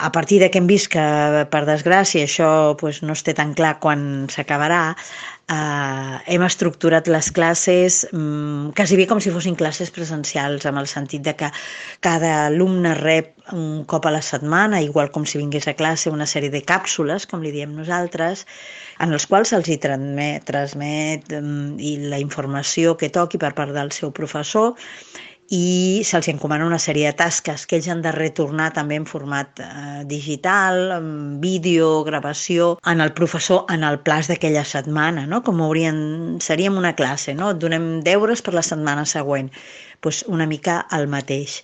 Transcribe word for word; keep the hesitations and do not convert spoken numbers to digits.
A partir de que hem vist que, per desgràcia, això pues, no es té tan clar quan s'acabarà, eh, hem estructurat les classes mm, quasi bé com si fossin classes presencials, amb el sentit de que cada alumne rep un cop a la setmana, igual com si vingués a classe, una sèrie de càpsules, com li diem nosaltres, en els quals se'ls hi transmet, transmet mm, i la informació que toqui per part del seu professor, i se'ls encomana una sèrie de tasques que ells han de retornar també en format eh, digital, amb vídeo, gravació, en el professor en el plaç d'aquella setmana, no? Com haurien, seríem una classe, no? Et donem deures per la setmana següent, pues una mica el mateix.